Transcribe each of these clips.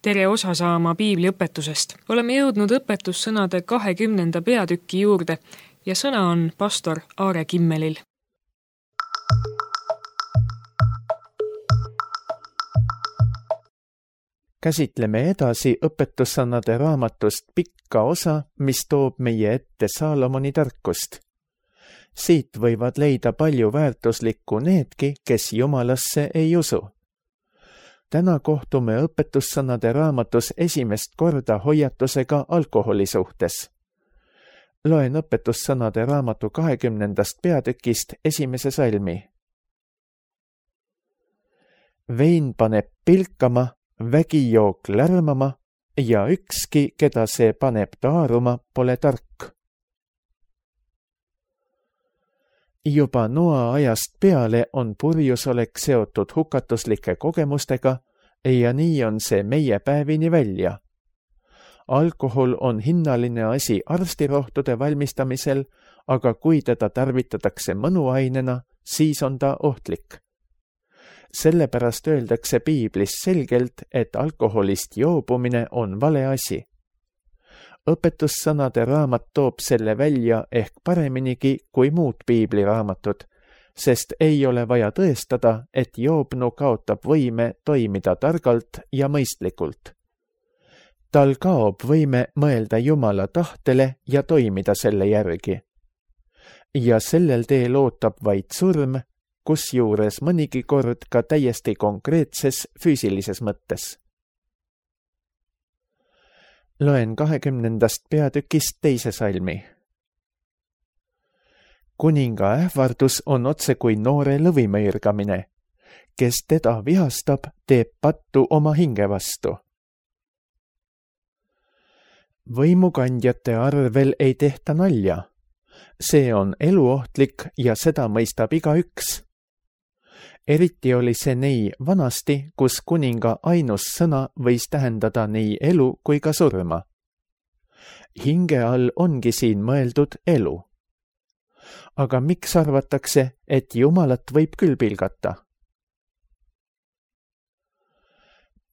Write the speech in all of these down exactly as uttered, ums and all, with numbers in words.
tere osa saama piibliõpetusest. Oleme jõudnud õpetussõnade kahekümnenda peatüki juurde ja sõna on pastor Aare Kimmelil. Käsitleme edasi õpetussõnade raamatust pikka osa, mis toob meie ette Saalomoni tarkust. Siit võivad leida palju väärtuslikku needki, kes Jumalasse ei usu. Täna kohtume õpetussõnade raamatus esimest korda hoiatusega alkoholi suhtes. Loen õpetussõnade raamatu kahekümnendast peatükist esimese salmi. Vein paneb pilkama, vägijook lärmama ja ükski, keda see paneb taaruma, pole tark. Juba Noa ajast peale on purjusolek seotud hukatuslike kogemustega ja nii on see meie päevini välja. Alkohol on hinnaline asi arstirohtude valmistamisel, aga kui teda tarvitatakse mõnuainena, siis on ta ohtlik. Sellepärast öeldakse piiblis selgelt, et alkoholist joobumine on vale asi. Õpetussõnade raamat toob selle välja ehk pareminigi kui muud piibliraamatud, sest ei ole vaja tõestada, et joobnu kaotab võime toimida targalt ja mõistlikult. Tal kaob võime mõelda Jumala tahtele ja toimida selle järgi. Ja sellel teel ootab vaid surm, kusjuures mõnigi kord ka täiesti konkreetses füüsilises mõttes. Loen kahekümnendast peatükist teise salmi. Kuninga ähvardus on otse kui noore lõvimõirgamine. Kes teda vihastab, teeb pattu oma hinge vastu. Võimukandjate arvel ei tehta nalja. See on eluohtlik ja seda mõistab igaüks. Eriti oli see nii vanasti, kus kuninga ainus sõna võis tähendada nii elu kui ka surma. Hinge all ongi siin mõeldud elu. Aga miks arvatakse, et Jumalat võib küll pilgata?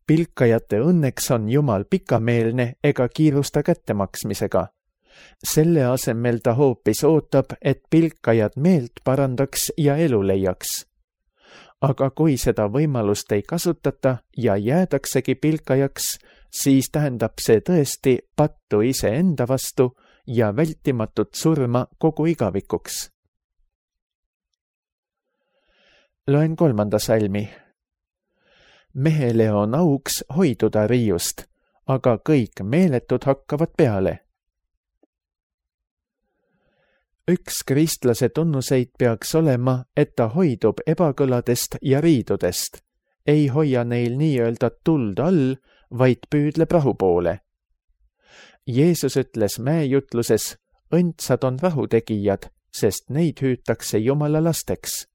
Pilkajate õnneks on Jumal pikameelne ega kiirusta kättemaksmisega. Selle asemel ta hoopis ootab, et pilkajad meelt parandaks ja elu leiaks. Aga kui seda võimalust ei kasutata ja jäädaksegi pilkajaks, siis tähendab see tõesti pattu iseenda vastu ja vältimatut surma kogu igavikuks. Loen kolmanda salmi. Mehele on auks hoiduda riiust, aga kõik meeletud hakkavad peale. Üks kristlase tunnuseid peaks olema, et ta hoidub ebakõladest ja riidudest, ei hoia neil nii-öelda tuld all, vaid püüdleb rahu poole. Jeesus ütles mäejutluses, õndsad on rahutegijad, sest neid hüütakse Jumala lasteks.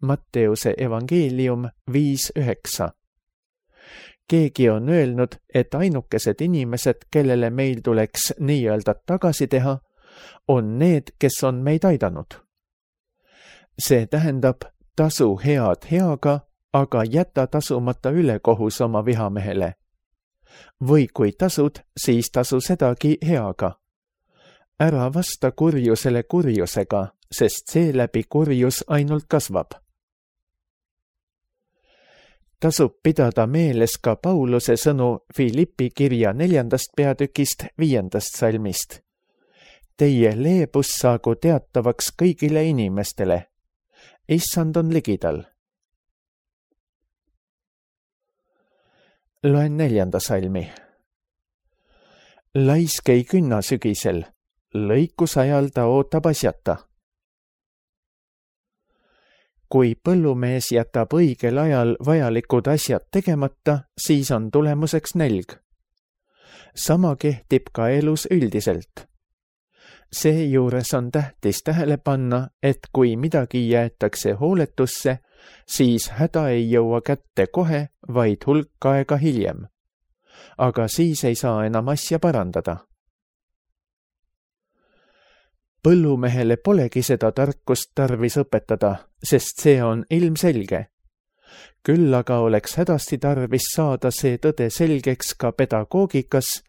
Matteuse evangeelium viis üheksa. Keegi on öelnud, et ainukesed inimesed, kellele meil tuleks nii-öelda tagasi teha, on need, kes on meid aidanud. See tähendab, tasu head heaga, aga jäta tasumata ülekohus oma vihamehele. Või kui tasud, siis tasu sedagi heaga. Ära vasta kurjusele kurjusega, sest seeläbi kurjus ainult kasvab. Tasub pidada meeles ka Pauluse sõnu Filippi kirja neljandast peatükist viiendast salmist. Teie leebus saagu teatavaks kõigile inimestele. Issand on ligidal. Loen neljanda salmi. Laisk ei künna sügisel, lõikusajal ta ootab asjata. Kui põllumees jätab õigel ajal vajalikud asjad tegemata, siis on tulemuseks nälg. Sama kehtib ka elus üldiselt. Seejuures on tähtis tähele panna, et kui midagi jäetakse hooletusse, siis häda ei jõua kätte kohe, vaid hulk aega hiljem. Aga siis ei saa enam asja parandada. Põllumehele polegi seda tarkust tarvis õpetada, sest see on ilmselge. Küll aga oleks hädasti tarvis saada see tõde selgeks ka pedagoogikas,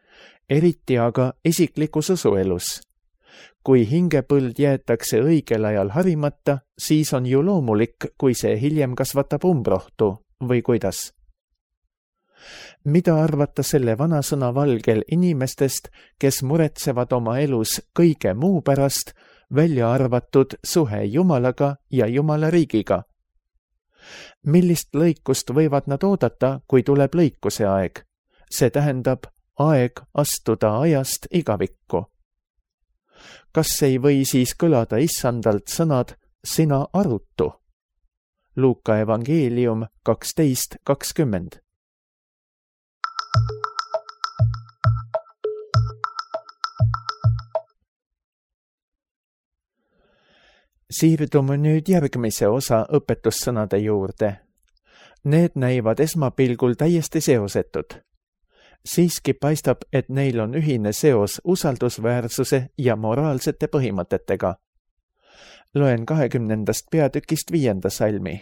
eriti aga isiklikus usuelus. Kui hingepõld jäetakse õigel ajal harimata, siis on ju loomulik, kui see hiljem kasvatab umbrohtu või kuidas. Mida arvata selle vanasõna valgel inimestest, kes muretsevad oma elus kõige muu pärast, välja arvatud suhe Jumalaga ja Jumala riigiga? Millist lõikust võivad nad oodata, kui tuleb lõikuse aeg? See tähendab aeg astuda ajast igavikku. Kas ei või siis kõlada issandalt sõnad sina arutu? Luuka evangeelium kaksteist kakskümmend. Siirdume nüüd järgmise osa õpetussõnade juurde. Need näivad esmapilgul täiesti seosetud. Siiski paistab, et neil on ühine seos usaldusväärsuse ja moraalsete põhimõtetega. Loen kahekümnendast peatükist viienda salmi.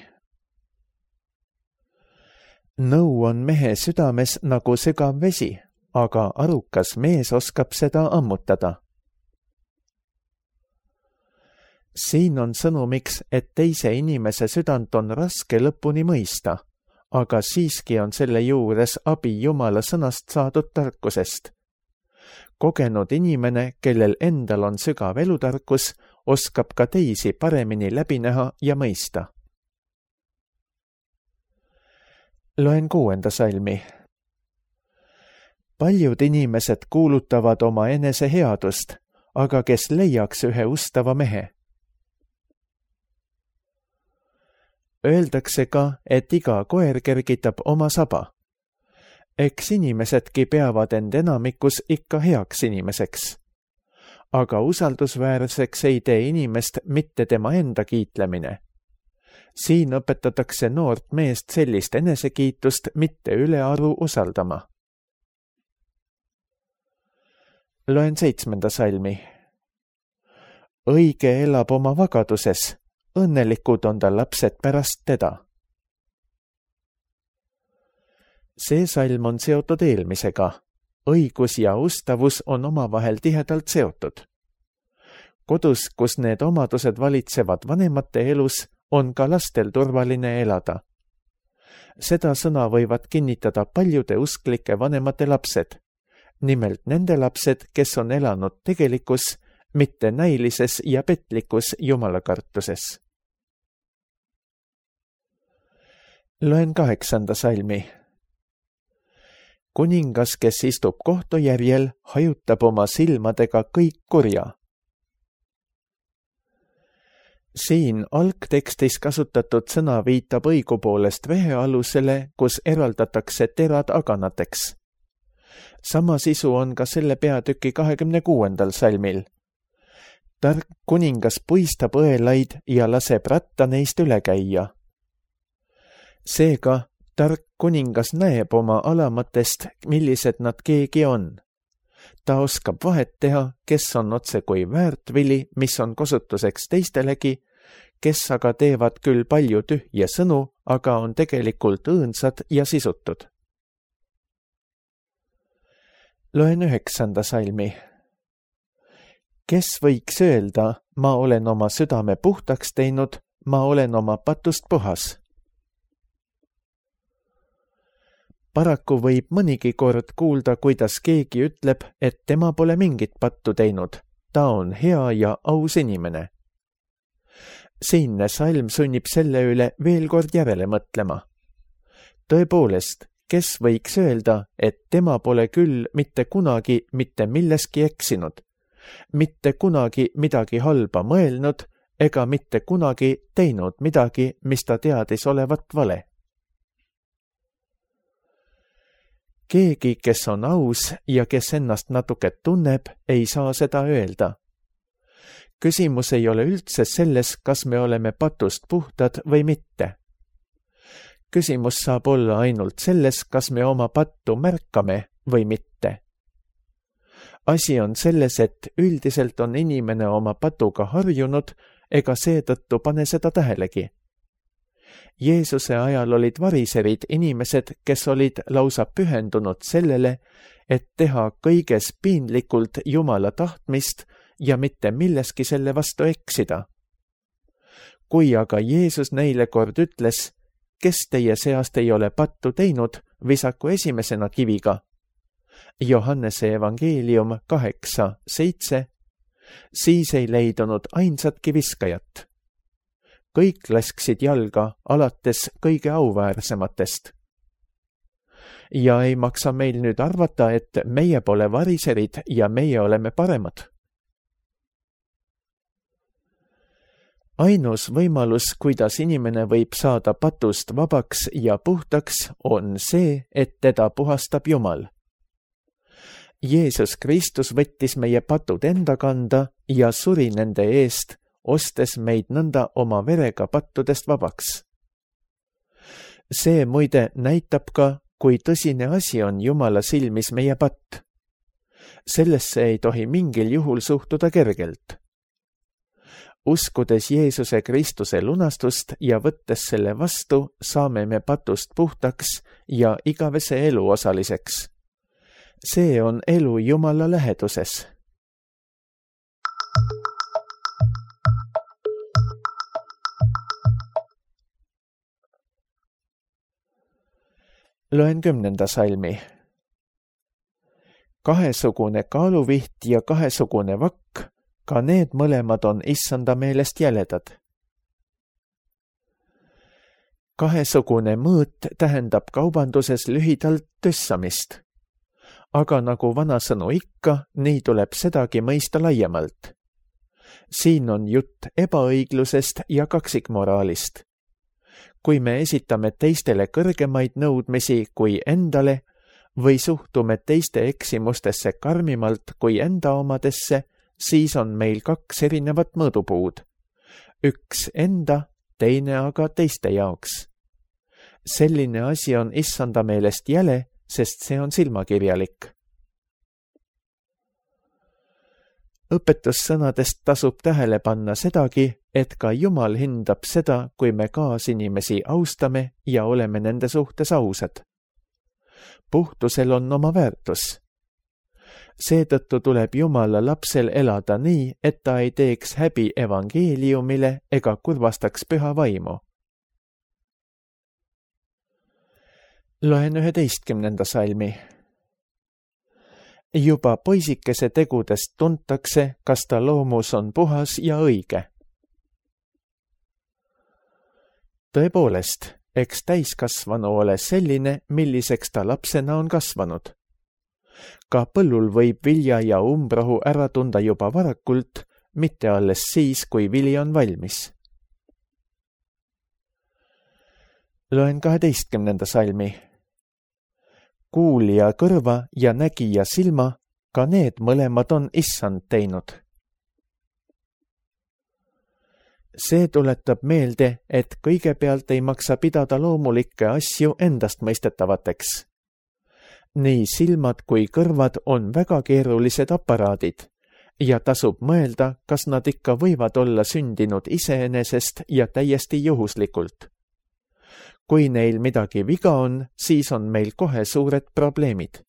Nõu on mehe südames nagu sügav vesi, aga arukas mees oskab seda ammutada. Siin on sõnumiks, et teise inimese südant on raske lõpuni mõista, aga siiski on selle juures abi Jumala sõnast saadud tarkusest. Kogenud inimene, kellel endal on sügav elutarkus, oskab ka teisi paremini läbi näha ja mõista. Loen kuuenda salmi. Paljud inimesed kuulutavad oma enese headust, aga kes leiaks ühe ustava mehe? Öeldakse ka, et iga koer kergitab oma saba. Eks inimesedki peavad end enamikus ikka heaks inimeseks. Aga usaldusväärseks ei tee inimest mitte tema enda kiitlemine. Siin õpetatakse noort meest sellist enesekiitust mitte ülearu usaldama. Loen seitsmenda salmi. Õige elab oma vagaduses. Õnnelikud on ta lapsed pärast teda. See salm on seotud eelmisega. Õigus ja ustavus on omavahel tihedalt seotud. Kodus, kus need omadused valitsevad vanemate elus, on ka lastel turvaline elada. Seda sõna võivad kinnitada paljude usklike vanemate lapsed. Nimelt nende lapsed, kes on elanud tegelikus, mitte näilises ja petlikus jumalakartuses. Loen kaheksanda salmi. Kuningas, kes istub kohtujärjel, hajutab oma silmadega kõik kurja. Siin algtekstis kasutatud sõna viitab õigupoolest vehealusele, kus eraldatakse terad aganateks. Sama sisu on ka selle peatüki kahekümne kuuendal salmil. Tark kuningas puistab õelaid ja laseb ratta neist üle käia. Seega, tark kuningas näeb oma alamatest, millised nad keegi on. Ta oskab vahet teha, kes on otse kui väärtvili, mis on kasutuseks teistelegi, kes aga teevad küll palju tühje sõnu, aga on tegelikult õõnsad ja sisutud. Loen üheksanda salmi. Kes võiks öelda, ma olen oma südame puhtaks teinud, ma olen oma patust puhas? Paraku võib mõnigi kord kuulda, kuidas keegi ütleb, et tema pole mingit pattu teinud. Ta on hea ja aus inimene. Siinne salm sunnib selle üle veel kord järele mõtlema. Tõepoolest, kes võiks öelda, et tema pole küll mitte kunagi mitte milleski eksinud, mitte kunagi midagi halba mõelnud ega mitte kunagi teinud midagi, mis ta teadis olevat vale. Keegi, kes on aus ja kes ennast natuke tunneb, ei saa seda öelda. Küsimus ei ole üldse selles, kas me oleme patust puhtad või mitte. Küsimus saab olla ainult selles, kas me oma pattu märkame või mitte. Asi on selles, et üldiselt on inimene oma patuga harjunud ega seetõttu pane seda tähelegi. Jeesuse ajal olid variserid inimesed, kes olid lausa pühendunud sellele, et teha kõiges piinlikult Jumala tahtmist ja mitte milleski selle vastu eksida. Kui aga Jeesus neile kord ütles, kes teie seast ei ole pattu teinud, visaku esimesena kiviga. Johannese evangeelium kaheksa seitse, siis ei leidunud ainsatki viskajat. Kõik lasksid jalga alates kõige auväärsematest. Ja ei maksa meil nüüd arvata, et meie pole variserid ja meie oleme paremad. Ainus võimalus, kuidas inimene võib saada patust vabaks ja puhtaks, on see, et teda puhastab Jumal. Jeesus Kristus võttis meie patud enda kanda ja suri nende eest, ostes meid nõnda oma verega pattudest vabaks. See muide näitab ka, kui tõsine asi on Jumala silmis meie patt. Sellesse ei tohi mingil juhul suhtuda kergelt. Uskudes Jeesuse Kristuse lunastust ja võttes selle vastu, saame me patust puhtaks ja igavese elu osaliseks. See on elu Jumala läheduses. Loen kümnenda salmi. Kahesugune kaaluviht ja kahesugune vakk, ka need mõlemad on issanda meelest jäledad. Kahesugune mõõt tähendab kaubanduses lühidalt tössamist. Aga nagu vanasõnu ikka, nii tuleb sedagi mõista laiemalt. Siin on jutt ebaõiglusest ja kaksikmoraalist. Kui me esitame teistele kõrgemaid nõudmisi kui endale või suhtume teiste eksimustesse karmimalt kui enda omadesse, siis on meil kaks erinevat mõõdupuud. Üks enda, teine aga teiste jaoks. Selline asi on issanda meelest jäle, sest see on silmakirjalik. Õpetussõnadest tasub tähele panna sedagi, et ka Jumal hindab seda, kui me kaasinimesi austame ja oleme nende suhtes ausad. Puhtusel on oma väärtus. Seetõttu tuleb Jumala lapsel elada nii, et ta ei teeks häbi evangeeliumile ega kurvastaks püha vaimu. Loen üheteistkümnenda salmi. Juba poisikese tegudest tuntakse, kas ta loomus on puhas ja õige. Tõepoolest, eks täiskasvanu ole selline, milliseks ta lapsena on kasvanud. Ka põllul võib vilja ja umbrohu ära tunda juba varakult, mitte alles siis, kui vili on valmis. Loen kaheteistkümnenda salmi. Kuulija kõrva ja nägija silma, ka need mõlemad on issand teinud. See tuletab meelde, et kõigepealt ei maksa pidada loomulikke asju endastmõistetavateks. Nii silmad kui kõrvad on väga keerulised aparaadid ja tasub mõelda, kas nad ikka võivad olla sündinud iseenesest ja täiesti juhuslikult. Kui neil midagi viga on, siis on meil kohe suured probleemid.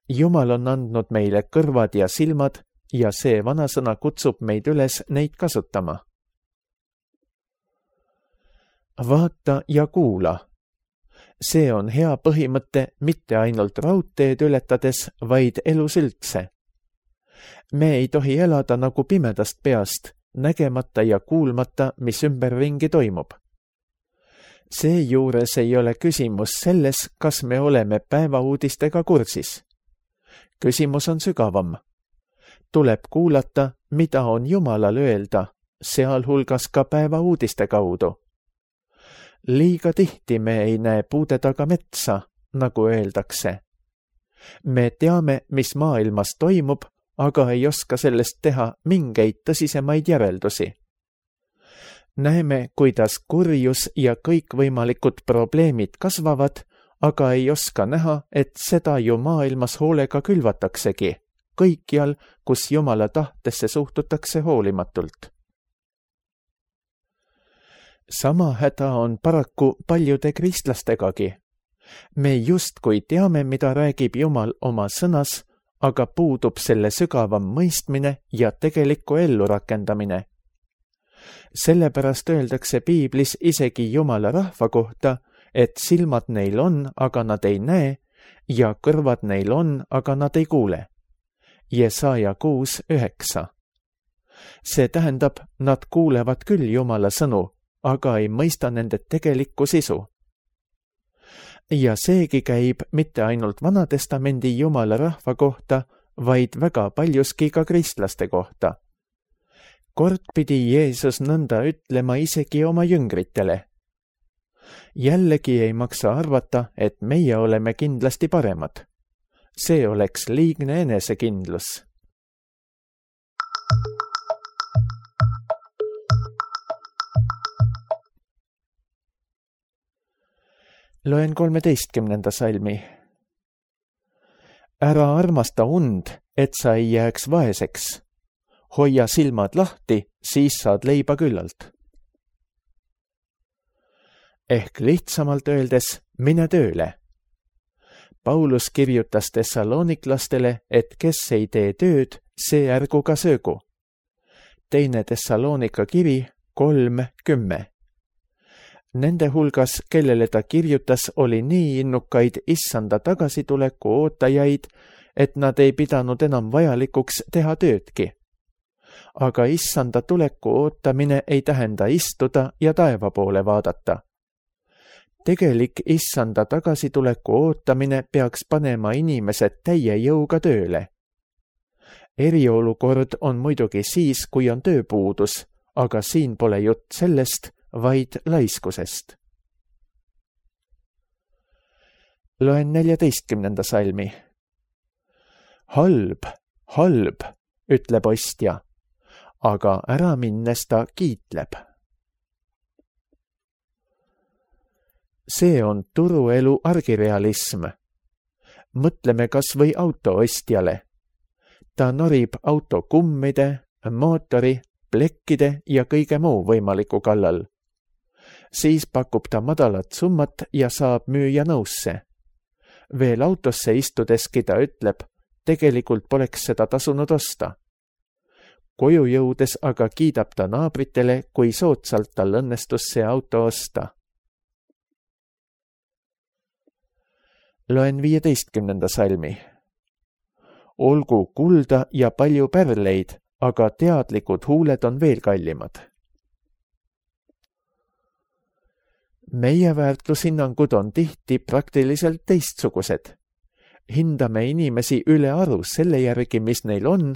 Jumal on andnud meile kõrvad ja silmad ja see vanasõna kutsub meid üles neid kasutama. Vaata ja kuula. See on hea põhimõte mitte ainult raudteed ületades, vaid elus üldse. Me ei tohi elada nagu pimedast peast, nägemata ja kuulmata, mis ümberringi toimub. Seejuures ei ole küsimus selles, kas me oleme päevauudistega kursis. Küsimus on sügavam. Tuleb kuulata, mida on Jumalal öelda, sealhulgas ka päevauudiste kaudu. Liiga tihti me ei näe puude taga metsa, nagu öeldakse. Me teame, mis maailmas toimub, aga ei oska sellest teha mingeid tõsisemaid järeldusi. Näeme, kuidas kurjus ja kõikvõimalikud probleemid kasvavad, aga ei oska näha, et seda ju maailmas hoolega külvataksegi, kõikjal, kus Jumala tahtesse suhtutakse hoolimatult. sama häda on paraku paljude kristlastegagi. Me justkui teame, mida räägib Jumal oma sõnas, aga puudub selle sügavam mõistmine ja tegelikku ellurakendamine. Sellepärast öeldakse piiblis isegi Jumala rahva kohta, et silmad neil on, aga nad ei näe, ja kõrvad neil on, aga nad ei kuule. Jesaja kuus üheksa. See tähendab, nad kuulevad küll Jumala sõnu, aga ei mõista nende tegelikku sisu. Ja seegi käib mitte ainult Vanatestamendi Jumala rahva kohta, vaid väga paljuski ka kristlaste kohta. Kord pidi Jeesus nõnda ütlema isegi oma jüngritele. Jällegi ei maksa arvata, et meie oleme kindlasti paremad. See oleks liigne enesekindlus. Loen kolmeteistkümnenda salmi. Ära armasta und, et sa ei jääks vaeseks. Hoia silmad lahti, siis saad leiba küllalt. Ehk lihtsamalt öeldes, mine tööle. Paulus kirjutas tessalooniklastele, et kes ei tee tööd, see ärgu ka söögu. Teine Tessaloonika kiri kolm kümme. Nende hulgas, kellele ta kirjutas, oli nii innukaid issanda tagasituleku ootajaid, et nad ei pidanud enam vajalikuks teha töödki. Aga issanda tuleku ootamine ei tähenda istuda ja taeva poole vaadata. Tegelik issanda tagasituleku ootamine peaks panema inimesed täie jõuga tööle. Eriolukord on muidugi siis, kui on tööpuudus, aga siin pole jutt sellest, vaid laiskusest. Loen neljateistkümnenda salmi. Halb, halb, ütleb ostja, aga ära minnes ta kiitleb. See on turuelu argirealism. Mõtleme kas või autoostjale. Ta norib auto kummide, mootori, plekkide ja kõige muu võimaliku kallal. Siis pakub ta madalat summat ja saab müüja nõusse. Veel autosse istudeski ta ütleb, tegelikult poleks seda tasunud osta. Koju jõudes aga kiidab ta naabritele, kui soodsalt tal õnnestus see auto osta. Loen viieteistkümnenda salmi. Olgu kulda ja palju pärleid, aga teadlikud huuled on veel kallimad. Meie väärtushinnangud on tihti praktiliselt teistsugused. Hindame inimesi üle aru selle järgi, mis neil on,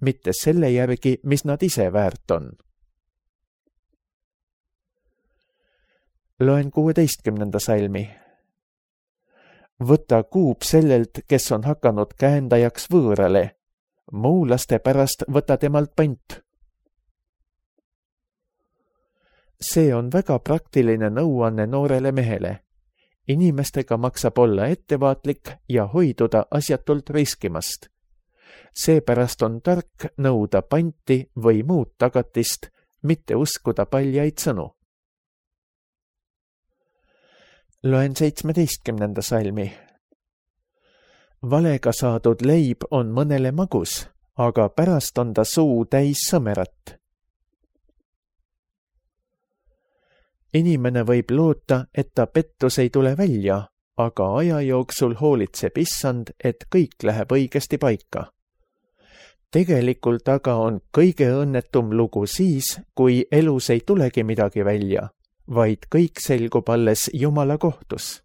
mitte selle järgi, mis nad ise väärt on. Loen kuueteistkümnenda salmi. Võta kuub sellelt, kes on hakanud käendajaks võõrale. Muulaste pärast võta temalt pant. See on väga praktiline nõuanne noorele mehele. Inimestega maksab olla ettevaatlik ja hoiduda asjatult riskimast. Seepärast on tark nõuda panti või muud tagatist, mitte uskuda paljaid sõnu. Loen seitsmeteistkümnenda salmi. Valega saadud leib on mõnele magus, aga pärast on ta suu täis sõmerat. Inimene võib loota, et ta pettus ei tule välja, aga aja jooksul hoolitseb issand, et kõik läheb õigesti paika. Tegelikult aga on kõige õnnetum lugu siis, kui elus ei tulegi midagi välja, vaid kõik selgub alles Jumala kohtus.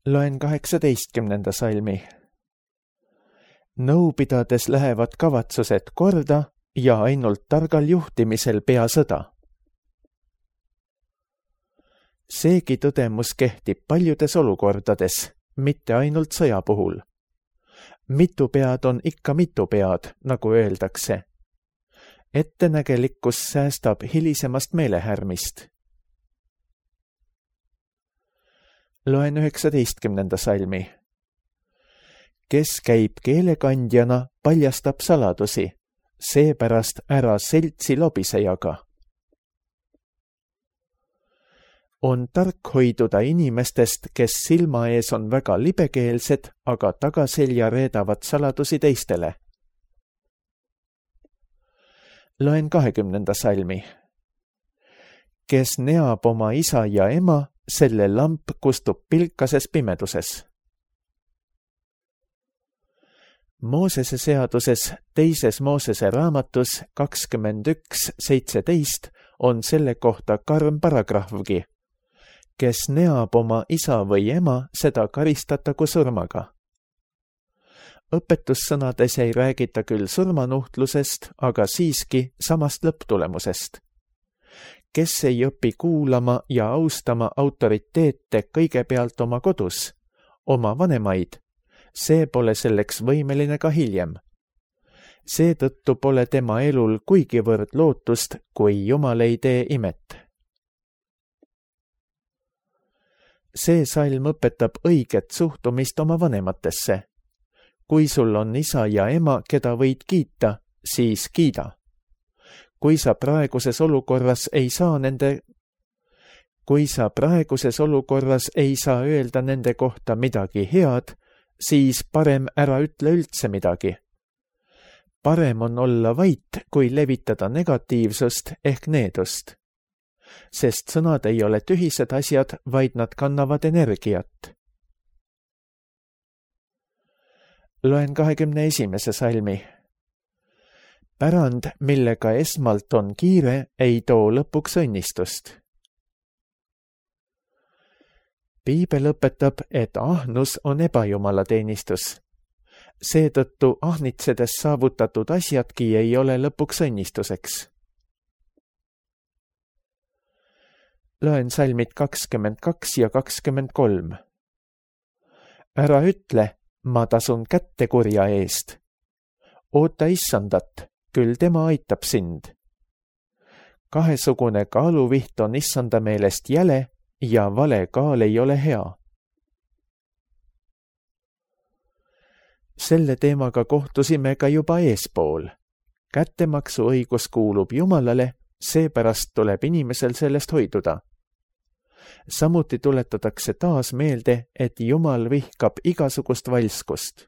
Loen kaheksateistkümnenda salmi. Nõu pidades lähevad kavatsused korda ja ainult targal juhtimisel pea sõda. Seegi tõdemus kehtib paljudes olukordades, mitte ainult sõja puhul. Mitu pead on ikka mitu pead, nagu öeldakse. Ettenägelikkus säästab hilisemast meelehärmist. Loen üheksateistkümnenda salmi. kes käib keelekandjana, paljastab saladusi, seepärast ära seltsi lobisejaga. On tark hoiduda inimestest, kes silma ees on väga libekeelsed, aga tagaselja reedavad saladusi teistele. Loen kahekümnenda salmi. Kes neab oma isa ja ema, selle lamp kustub pilkases pimeduses. Moosese seaduses teises Moosese raamatus kakskümmend üks seitseteist on selle kohta karm paragrahvgi. Kes neab oma isa või ema, seda karistatagu surmaga. Õpetussõnades ei räägita küll surmanuhtlusest, aga siiski samast lõpptulemusest. Kes ei õpi kuulama ja austama autoriteete kõigepealt oma kodus, oma vanemaid, see pole selleks võimeline ka hiljem. Seetõttu pole tema elul kuigivõrd lootust, kui Jumal ei tee imet. See salm õpetab õiget suhtumist oma vanematesse. Kui sul on isa ja ema, keda võid kiita, siis kiida. Kui sa praeguses olukorras ei saa nende Kui sa praeguses olukorras ei saa öelda nende kohta midagi head, siis parem ära ütle üldse midagi. Parem on olla vait, kui levitada negatiivsust ehk needust. Sest sõnad ei ole tühised asjad, vaid nad kannavad energiat. Loen kahekümne esimese salmi. Pärand, millega esmalt on kiire, ei too lõpuks õnnistust. Piibel õpetab, et ahnus on ebajumalateenistus. Seetõttu ahnitsedes saavutatud asjadki ei ole lõpuks õnnistuseks. Loen salmid kakskümmend kaks ja kakskümmend kolm. Ära ütle, ma tasun kätte kurja eest. Oota issandat, küll tema aitab sind. Kahesugune kaaluviht on issanda meelest jäle ja vale kaal ei ole hea. Selle teemaga kohtusime ka juba eespool. Kättemaksu õigus kuulub Jumalale, seepärast tuleb inimesel sellest hoiduda. Samuti tuletatakse taas meelde, et Jumal vihkab igasugust valskust.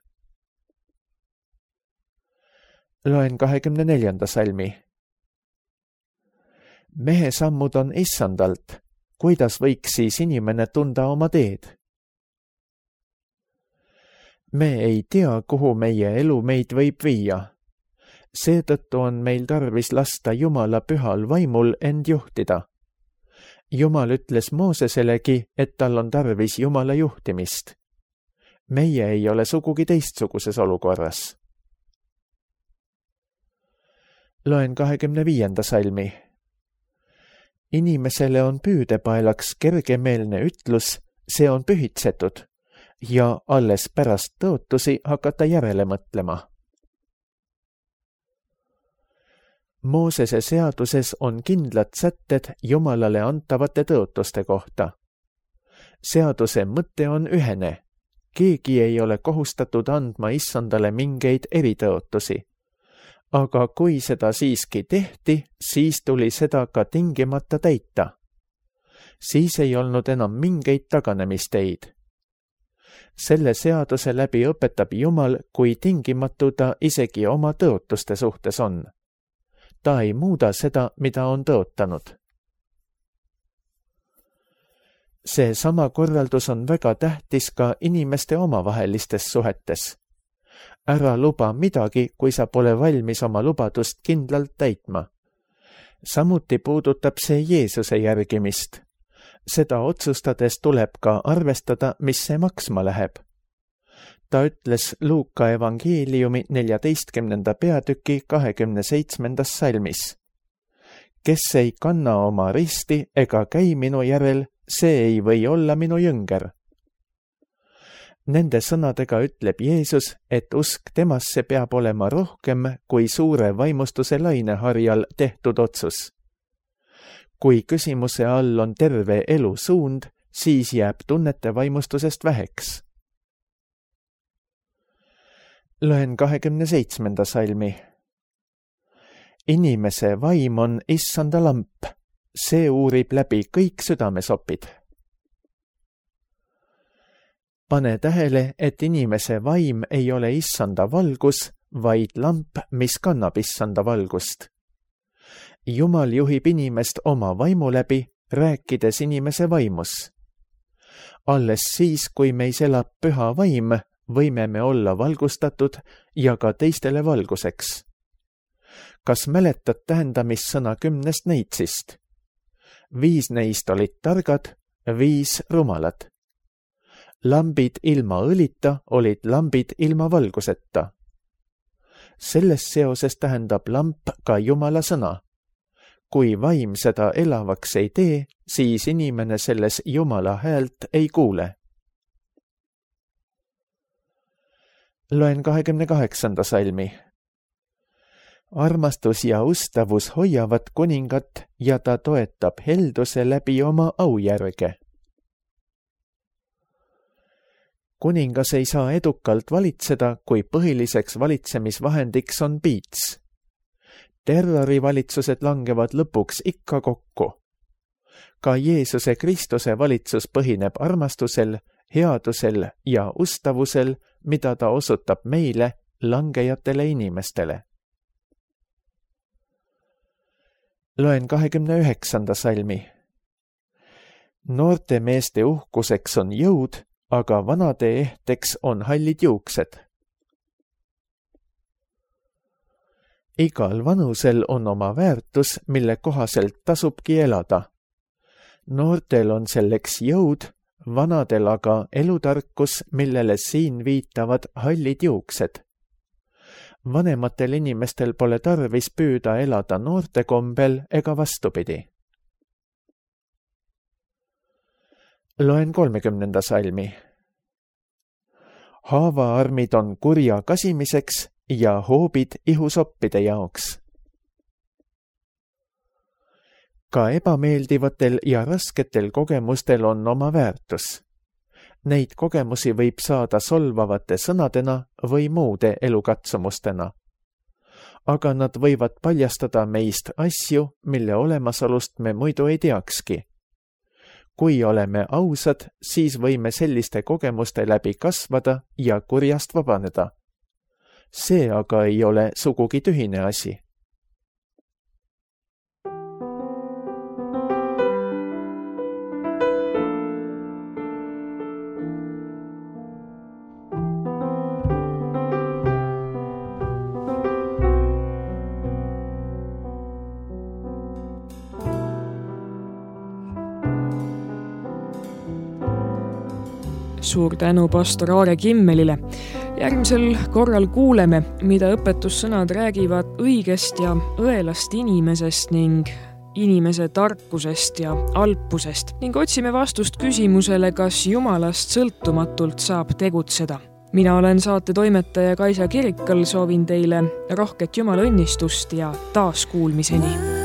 Loen kahekümne neljanda salmi. Mehe sammud on issandalt, kuidas võiks siis inimene tunda oma teed? Me ei tea, kuhu meie elu meid võib viia. Seetõttu on meil tarvis lasta Jumala pühal vaimul end juhtida. Jumal ütles Mooseselegi, et tal on tarvis Jumala juhtimist. Meie ei ole sugugi teistsuguses olukorras. Loen kahekümne viienda salmi. Inimesele on püüdepaelaks kergemeelne ütlus, see on pühitsetud, ja alles pärast tõotusi hakata järele mõtlema. Moosese seaduses on kindlad sätted Jumalale antavate tõotuste kohta. Seaduse mõte on ühene. Keegi ei ole kohustatud andma issandale mingeid eritõotusi. Aga kui seda siiski tehti, siis tuli seda ka tingimata täita. Siis ei olnud enam mingeid taganemisteid. Selle seaduse läbi õpetab Jumal, kui tingimatu ta isegi oma tõotuste suhtes on. Ta ei muuda seda, mida on tõotanud. See sama korraldus on väga tähtis ka inimeste omavahelistes suhetes. Ära luba midagi, kui sa pole valmis oma lubadust kindlalt täitma. Samuti puudutab see Jeesuse järgimist. Seda otsustades tuleb ka arvestada, mis see maksma läheb. Ta ütles Luuka evangeeliumi neljateistkümnenda peatüki kahekümne seitsmendas salmis. Kes ei kanna oma risti ega käi minu järel, see ei või olla minu jünger. Nende sõnadega ütleb Jeesus, et usk temasse peab olema rohkem kui suure vaimustuse laineharjal tehtud otsus. Kui küsimuse all on terve elu suund, siis jääb tunnete vaimustusest väheks. Loen kahekümne seitsmenda salmi. Inimese vaim on issanda lamp, see uurib läbi kõik südamesopid. Pane tähele, et inimese vaim ei ole issanda valgus, vaid lamp, mis kannab issanda valgust. Jumal juhib inimest oma vaimu läbi, rääkides inimese vaimus. Alles siis, kui meis elab püha vaim, võime me olla valgustatud ja ka teistele valguseks. Kas mäletad tähendamissõna kümnest neitsist? Viis neist olid targad, viis rumalad. Lambid ilma õlita olid lambid ilma valguseta. Selles seoses tähendab lamp ka Jumala sõna. Kui vaim seda elavaks ei tee, siis inimene selles Jumala häält ei kuule. Loen kahekümne kaheksanda salmi. Armastus ja ustavus hoiavad kuningat ja ta toetab helduse läbi oma aujärge. Kuningas ei saa edukalt valitseda, kui põhiliseks valitsemisvahendiks on piits. Terrorivalitsused langevad lõpuks ikka kokku. Ka Jeesuse Kristuse valitsus põhineb armastusel, headusel ja ustavusel, mida ta osutab meile, langejatele inimestele. Loen kahekümne üheksanda salmi. Noorte meeste uhkuseks on jõud, aga vanade ehteks on hallid juuksed. Igal vanusel on oma väärtus, mille kohaselt tasubki elada. Noortel on selleks jõud, vanadel aga elutarkus, millele siin viitavad hallid juuksed. Vanematel inimestel pole tarvis püüda elada noorte kombel ega vastupidi. Loen kolmekümnenda salmi. Haavaarmid on kurja kasimiseks ja hoobid ihusoppide jaoks. Ka ebameeldivatel ja rasketel kogemustel on oma väärtus. Neid kogemusi võib saada solvavate sõnadena või muude elukatsumustena. Aga nad võivad paljastada meist asju, mille olemasolust me muidu ei teakski. Kui oleme ausad, siis võime selliste kogemuste läbi kasvada ja kurjast vabaneda. See aga ei ole sugugi tühine asi. Suur tänu pastor Aare Kimmelile. Järgmisel korral kuuleme, mida õpetussõnad räägivad õigest ja õelast inimesest ning inimese tarkusest ja alpusest ning otsime vastust küsimusele, kas Jumalast sõltumatult saab tegutseda. Mina olen saate toimetaja Kaisa Kirikal, soovin teile rohket Jumala õnnistust ja taas kuulmiseni.